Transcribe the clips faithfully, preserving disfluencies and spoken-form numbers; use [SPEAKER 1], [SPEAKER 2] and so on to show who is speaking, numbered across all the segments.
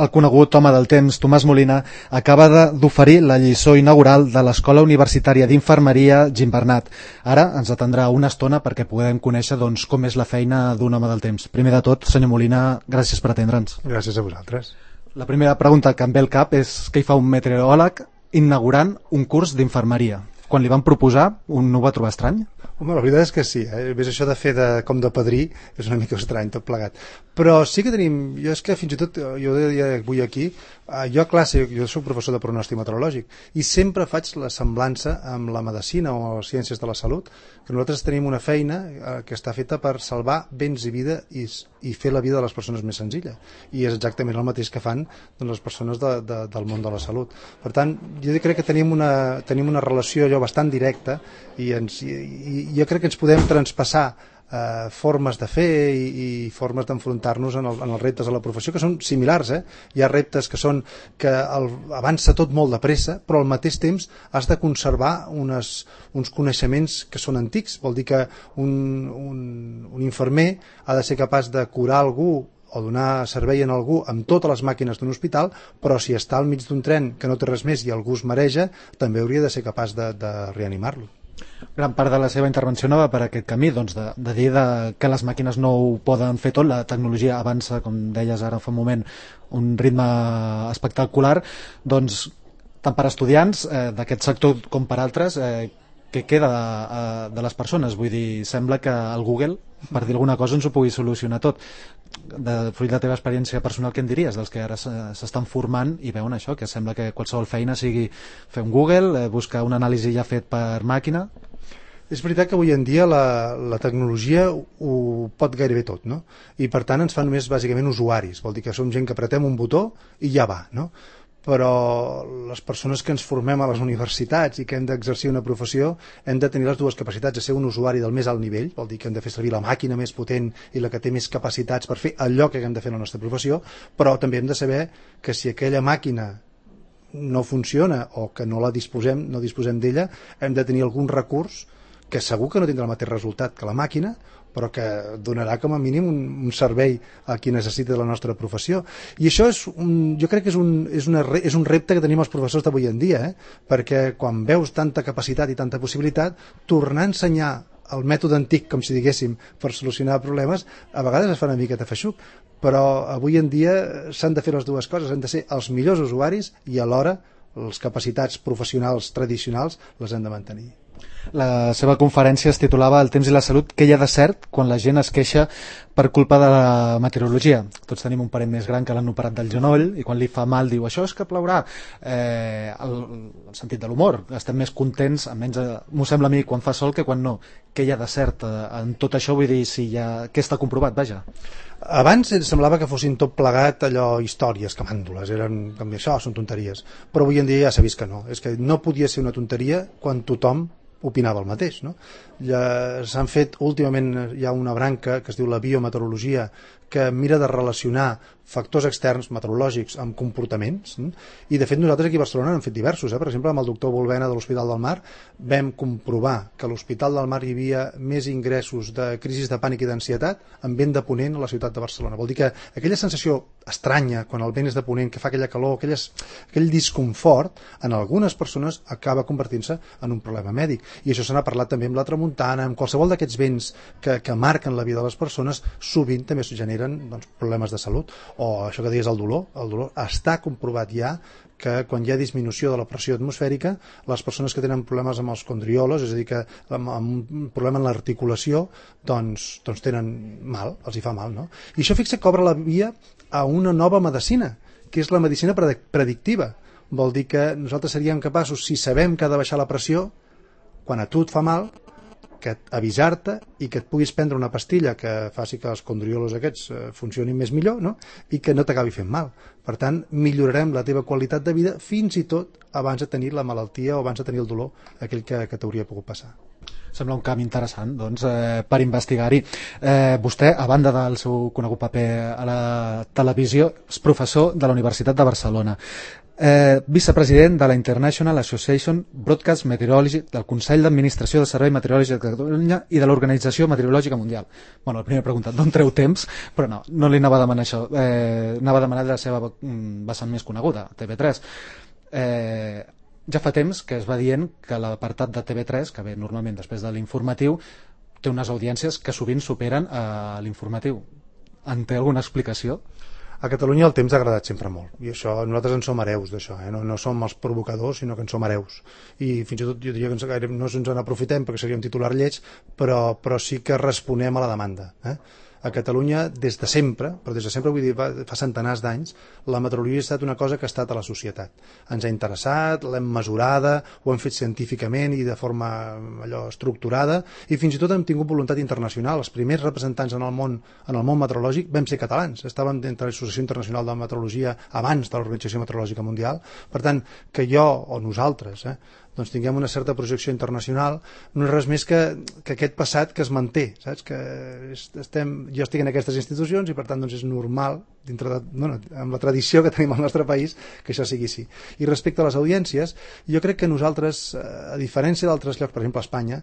[SPEAKER 1] El conegut home del temps, Tomàs Molina, acaba d'oferir la lliçó inaugural de l'Escola Universitària d'Infermeria Gimbernat. Ara ens atendrà una estona perquè puguem conèixer doncs, com és la feina d'un home del temps. Primer de tot, senyor Molina, gràcies per atendre'ns.
[SPEAKER 2] Gràcies a vosaltres.
[SPEAKER 1] La primera pregunta que em ve al cap és què hi fa un meteoròleg inaugurant un curs d'infermeria. Quan li van proposar, un no ho va trobar estrany?
[SPEAKER 2] Home, la veritat és que sí, eh? Ves això de fer de, com de padrí és una mica estrany tot plegat, però sí que tenim, jo és que fins i tot jo deia avui aquí, eh, jo a classe, jo soc professor de pronòstic meteorològic i sempre faig la semblança amb la medicina o les ciències de la salut, que nosaltres tenim una feina eh, que està feta per salvar béns i vida i, i fer la vida de les persones més senzilla, i és exactament el mateix que fan doncs, les persones de, de, del món de la salut. Per tant, jo crec que tenim una, tenim una relació allò bastant directa i, ens, i, i jo crec que ens podem traspassar eh, formes de fer i, i formes d'enfrontar-nos en, el, en els reptes de la professió que són similars. Eh? Hi ha reptes que són que el, avança tot molt de pressa, però al mateix temps has de conservar unes, uns coneixements que són antics. Vol dir que un, un, un infermer ha de ser capaç de curar algú o donar servei a algú amb totes les màquines d'un hospital, però si està al mig d'un tren que no té res més i algú es mareja, també hauria de ser capaç de, de reanimar-lo.
[SPEAKER 1] Gran part de la seva intervenció no va per aquest camí, doncs de, de dir de, que les màquines no ho poden fer tot, la tecnologia avança, com deies ara fa un moment, un ritme espectacular, doncs tant per estudiants eh, d'aquest sector com per altres, eh, què queda de, de les persones? Vull dir, sembla que el Google, per dir alguna cosa, ens ho pugui solucionar tot. De, fruit de la teva experiència personal, què en diries dels que ara s'estan formant i veuen això, que sembla que qualsevol feina sigui fer un Google, eh, buscar una anàlisi ja fet per màquina?
[SPEAKER 2] És veritat que avui en dia la, la tecnologia ho pot gairebé tot, no? I per tant ens fa només bàsicament usuaris, vol dir que som gent que apretem un botó i ja va, no? Però les persones que ens formem a les universitats i que hem d'exercir una professió hem de tenir les dues capacitats, de ser un usuari del més alt nivell, vol dir que hem de fer servir la màquina més potent i la que té més capacitats per fer allò que hem de fer en la nostra professió, però també hem de saber que si aquella màquina no funciona o que no la disposem, no disposem d'ella, hem de tenir algun recurs que segur que no tindrà el mateix resultat que la màquina, però que donarà com a mínim un, un servei a qui necessita la nostra professió. I això és un, jo crec que és un, és, una, és un repte que tenim els professors d'avui en dia, eh? Perquè quan veus tanta capacitat i tanta possibilitat, tornar a ensenyar el mètode antic, com si diguéssim, per solucionar problemes, a vegades es fa una miqueta feixuc, però avui en dia s'han de fer les dues coses, han de ser els millors usuaris i alhora les capacitats professionals tradicionals les hem de mantenir.
[SPEAKER 1] La seva conferència es titulava El temps i la salut, què hi ha de cert quan la gent es queixa per culpa de la meteorologia. Tots tenim un parent més gran que l'han operat del genoll i quan li fa mal diu això és que plourà. Eh, el, el sentit de l'humor, estem més contents, almenys m'ho sembla a mi, quan fa sol que quan no. Què hi ha de cert en tot això? Vull dir, si hi ha... què està comprovat, vaja.
[SPEAKER 2] Abans semblava que fossin tot plegat allò històries, camàndules, eren com això, són tonteries, però avui en dia ja s'ha vist que no, és que no podia ser una tonteria quan tothom opinava el mateix, no? Ja s'han fet últimament, hi ha una branca que es diu la biometeorologia que mira de relacionar factors externs meteorològics amb comportaments, i de fet nosaltres aquí a Barcelona n'hem fet diversos, eh? Per exemple amb el doctor Volvena de l'Hospital del Mar vam comprovar que a l'Hospital del Mar hi havia més ingressos de crisis de pànic i d'ansietat en vent de ponent a la ciutat de Barcelona. Vol dir que aquella sensació estranya quan el vent és de ponent, que fa aquella calor, aquelles, aquell disconfort, en algunes persones acaba convertint-se en un problema mèdic, i això se n'ha parlat també amb la tramuntana, amb qualsevol d'aquests vents que, que marquen la vida de les persones, sovint també es generen doncs, problemes de salut. O això que deies, el dolor, el dolor està comprovat ja que quan hi ha disminució de la pressió atmosfèrica, les persones que tenen problemes amb els condriolos, és a dir, que amb, amb un problema en l'articulació, doncs, doncs tenen mal, els hi fa mal, no? I això fixa que obre la via a una nova medicina, que és la medicina predictiva. Vol dir que nosaltres seríem capaços, si sabem que ha de baixar la pressió, quan a tu et fa mal, que avisar-te i que et puguis prendre una pastilla que faci que els condriolos aquests eh, funcionin més millor, no? I que no t'acabi fent mal. Per tant, millorarem la teva qualitat de vida fins i tot abans de tenir la malaltia o abans de tenir el dolor aquell que, que t'hauria pogut passar.
[SPEAKER 1] Sembla un camp interessant doncs, eh, per investigar-hi. Eh, vostè, a banda del seu conegut paper a la televisió, és professor de la Universitat de Barcelona. Eh, vicepresident de la International Association Broadcast Meteorology, del Consell d'Administració del Servei Meteorològic de Catalunya i de l'Organització Meteorològica Mundial. Bueno, la primera pregunta, d'on treu temps? Però no, no li anava a demanar això. Eh, anava a demanar la seva vessant més coneguda, T V tres. Eh, ja fa temps que es va dient que l'apartat de T V tres, que ve normalment després de l'informatiu, té unes audiències que sovint superen a l'informatiu. En té alguna explicació?
[SPEAKER 2] A Catalunya el temps ha agradat sempre molt i això, nosaltres en som hereus d'això, eh? no, no som els provocadors sinó que en som hereus i fins i tot jo diria que ens, no ens en aprofitem perquè seria un titular lleig, però, però sí que responem a la demanda. eh? A Catalunya, des de sempre, però des de sempre vull dir, fa centenars d'anys, la meteorologia ha estat una cosa que ha estat a la societat. Ens ha interessat, l'hem mesurada, ho hem fet científicament i de forma allò estructurada, i fins i tot hem tingut voluntat internacional. Els primers representants en el món, en el món meteorològic vam ser catalans. Estàvem dintre l'Associació Internacional de Meteorologia abans de l'Organització Meteorològica Mundial. Per tant, que jo o nosaltres eh, doncs tinguem una certa projecció internacional no és res més que, que aquest passat que es manté, saps? Que estem, jo estic en aquestes institucions i per tant doncs és normal dintre de, bueno, amb la tradició que tenim al nostre país que això sigui així. I respecte a les audiències, jo crec que nosaltres, a diferència d'altres llocs, per exemple a Espanya,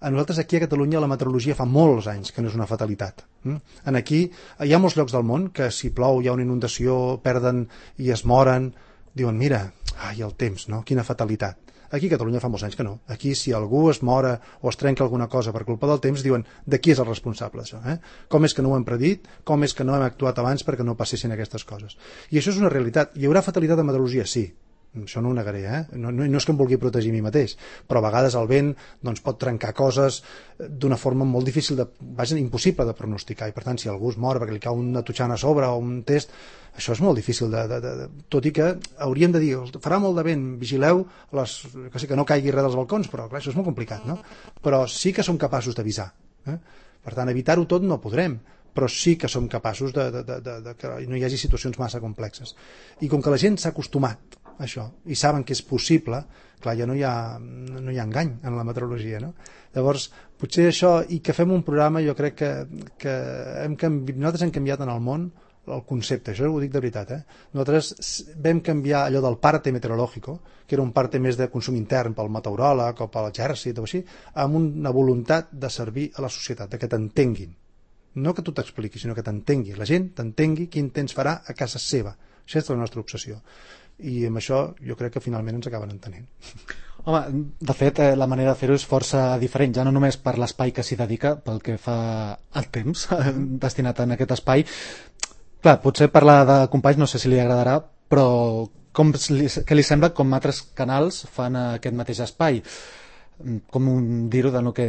[SPEAKER 2] a nosaltres aquí a Catalunya la meteorologia fa molts anys que no és una fatalitat. En aquí hi ha molts llocs del món que si plou hi ha una inundació, perden i es moren, diuen mira, ai el temps, no? Quina fatalitat. Aquí a Catalunya fa molts anys que no. Aquí si algú es mora o es trenca alguna cosa per culpa del temps, diuen de qui és el responsable d'això. Eh? Com és que no ho hem predit? Com és que no hem actuat abans perquè no passessin aquestes coses? I això és una realitat. Hi haurà fatalitat en meteorologia? Sí. Això no ho negaré, eh? no, no, no és que em vulgui protegir a mi mateix, però a vegades el vent doncs, pot trencar coses d'una forma molt difícil, de, vaja, impossible de pronosticar, i per tant si algú es mor perquè li cau una totxana a sobre o un test, això és molt difícil de, de, de, de, tot i que hauríem de dir, farà molt de vent, vigileu les, que, sí, que no caigui res dels balcons, però clar, això és molt complicat, no? Però sí que som capaços d'avisar, eh? Per tant evitar-ho tot no podrem, però sí que som capaços de, de, de, de, de que no hi hagi situacions massa complexes. I com que la gent s'ha acostumat a això i saben que és possible, clar, ja no hi ha, no hi ha engany en la meteorologia, no? Llavors, potser això, i que fem un programa, jo crec que, que hem canvi... nosaltres hem canviat en el món el concepte, això ho dic de veritat, eh? Nosaltres vam canviar allò del parte meteorològico, que era un parte més de consum intern pel meteoròleg o per l'exèrcit o així, amb una voluntat de servir a la societat, de que t'entenguin. No que tu t'expliquis, sinó que t'entengui. La gent t'entengui quin temps farà a casa seva. Això és la nostra obsessió. I amb això jo crec que finalment ens acaben entenent.
[SPEAKER 1] Home, de fet, eh, la manera de fer-ho és força diferent, ja no només per l'espai que s'hi dedica, pel que fa al temps destinat en aquest espai. Clar, potser parlar de companys no sé si li agradarà, però com li, què li sembla com altres canals fan aquest mateix espai? Com dir-ho de no que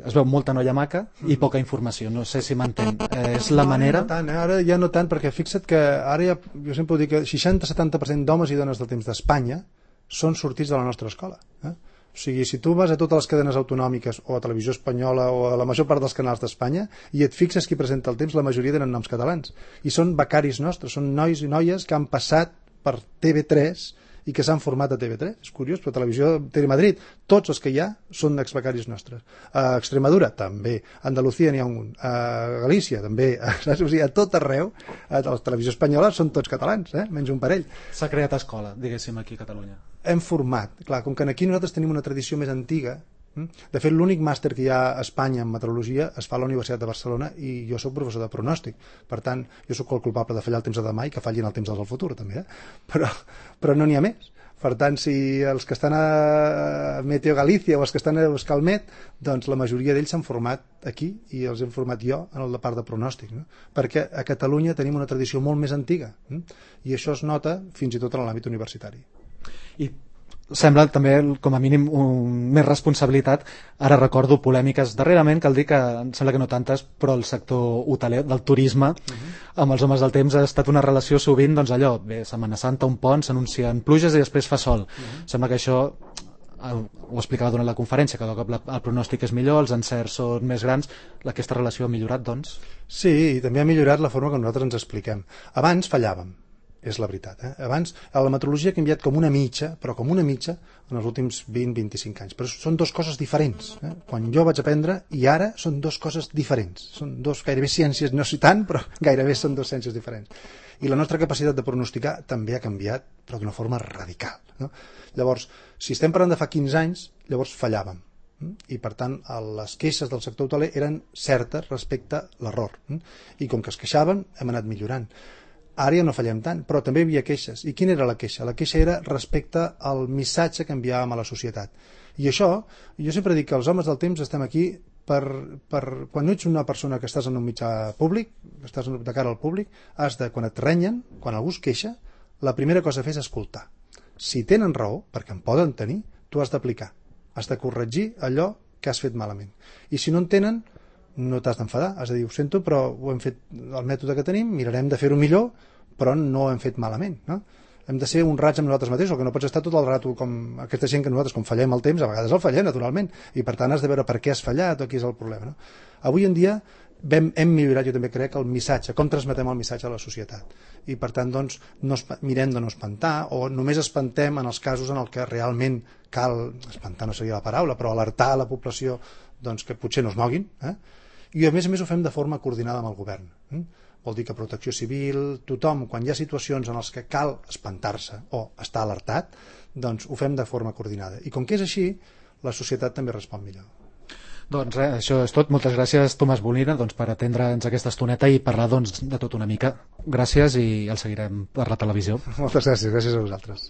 [SPEAKER 1] es veu molta noia maca i poca informació, no sé si m'entén. Eh, és la manera...
[SPEAKER 2] No, no tant, eh? Ara ja no tant, perquè fixa't que ara ja, jo sempre ho dic que seixanta a setanta per cent d'homes i dones del temps d'Espanya són sortits de la nostra escola. Eh? O sigui, si tu vas a totes les cadenes autonòmiques o a Televisió Espanyola o a la major part dels canals d'Espanya i et fixes qui presenta el temps, la majoria tenen noms catalans. I són becaris nostres, són nois i noies que han passat per T V tres i que s'han format a T V tres, és curiós, però Televisió Telemadrid, tots els que hi ha són exbecaris nostres. A Extremadura, també. A Andalucía n'hi ha un. A Galícia, també. Saps? O sigui, a tot arreu, a la Televisió Espanyola són tots catalans, eh? Menys un parell.
[SPEAKER 1] S'ha creat escola, diguéssim, aquí a Catalunya.
[SPEAKER 2] Hem format. Clar, com que aquí nosaltres tenim una tradició més antiga, de fet l'únic màster que hi ha a Espanya en meteorologia es fa a la Universitat de Barcelona i jo sóc professor de pronòstic, per tant jo sóc el culpable de fallar el temps de demà i que fallin el temps del futur també, eh? però, però no n'hi ha més. Per tant, si els que estan a Meteo Galícia o els que estan a Euskalmet, doncs la majoria d'ells s'han format aquí i els hem format jo en el part de pronòstic, no? Perquè a Catalunya tenim una tradició molt més antiga, eh? I això es nota fins i tot en l'àmbit universitari.
[SPEAKER 1] I sembla també, com a mínim, un, més responsabilitat. Ara recordo polèmiques darrerament, cal dir que em sembla que no tantes, però el sector hoteler, del turisme, uh-huh. amb els homes del temps ha estat una relació sovint, doncs allò, bé, Setmana Santa, un pont, s'anuncien pluges i després fa sol. Uh-huh. Sembla que això, ho explicava durant la conferència, cada cop el pronòstic és millor, els encerts són més grans, aquesta relació ha millorat, doncs?
[SPEAKER 2] Sí, i també ha millorat la forma que nosaltres ens expliquem. Abans fallàvem. és la veritat. Eh? Abans, la meteorologia ha canviat com una mitja, però com una mitja, en els últims vint a vint-i-cinc anys. Però són dues coses diferents. Eh? Quan jo vaig aprendre, i ara són dues coses diferents. Són dos gairebé ciències, no sé tant, però gairebé són dues ciències diferents. I la nostra capacitat de pronosticar també ha canviat, però d'una forma radical. No? Llavors, si estem parlant de fa quinze anys, llavors fallàvem. I per tant les queixes del sector hoteler eren certes respecte a l'error. I com que es queixaven, hem anat millorant. Ara ja no fallem tant, però també hi havia queixes. I quina era la queixa? La queixa era respecte al missatge que enviàvem a la societat. I això, jo sempre dic que els homes del temps estem aquí per, per quan ets una persona que estàs en un mitjà públic, que estàs de cara al públic, has de, quan et renyen, quan algú es queixa, la primera cosa a fer és escoltar. Si tenen raó, perquè en poden tenir, tu has d'aplicar. Has de corregir allò que has fet malament. I si no en tenen, no t'has d'enfadar, has de dir, ho sento, però ho hem fet el mètode que tenim, mirarem de fer-ho millor, però no ho hem fet malament, no? Hem de ser un raig amb nosaltres mateixos, que no pots estar tot el rato com aquesta gent que nosaltres, com fallem el temps, a vegades el fallem, naturalment, i per tant has de veure per què has fallat o qui és el problema, no? Avui en dia hem, hem millorat, jo també crec, el missatge, com transmetem el missatge a la societat. I per tant, doncs, no mirem de no espantar, o només espantem en els casos en els que realment cal, espantar no seria la paraula, però alertar a la població doncs, que potser no es moguin, eh? I a més a més ho fem de forma coordinada amb el govern. Eh? Vol dir que Protecció Civil, tothom, quan hi ha situacions en les que cal espantar-se o estar alertat, doncs ho fem de forma coordinada. I com que és així, la societat també respon millor.
[SPEAKER 1] Doncs res, això és tot. Moltes gràcies, Tomàs Bolina, doncs, per atendre'ns aquesta estoneta i parlar doncs, de tot una mica. Gràcies i el seguirem per la televisió.
[SPEAKER 2] Moltes gràcies, gràcies a vosaltres.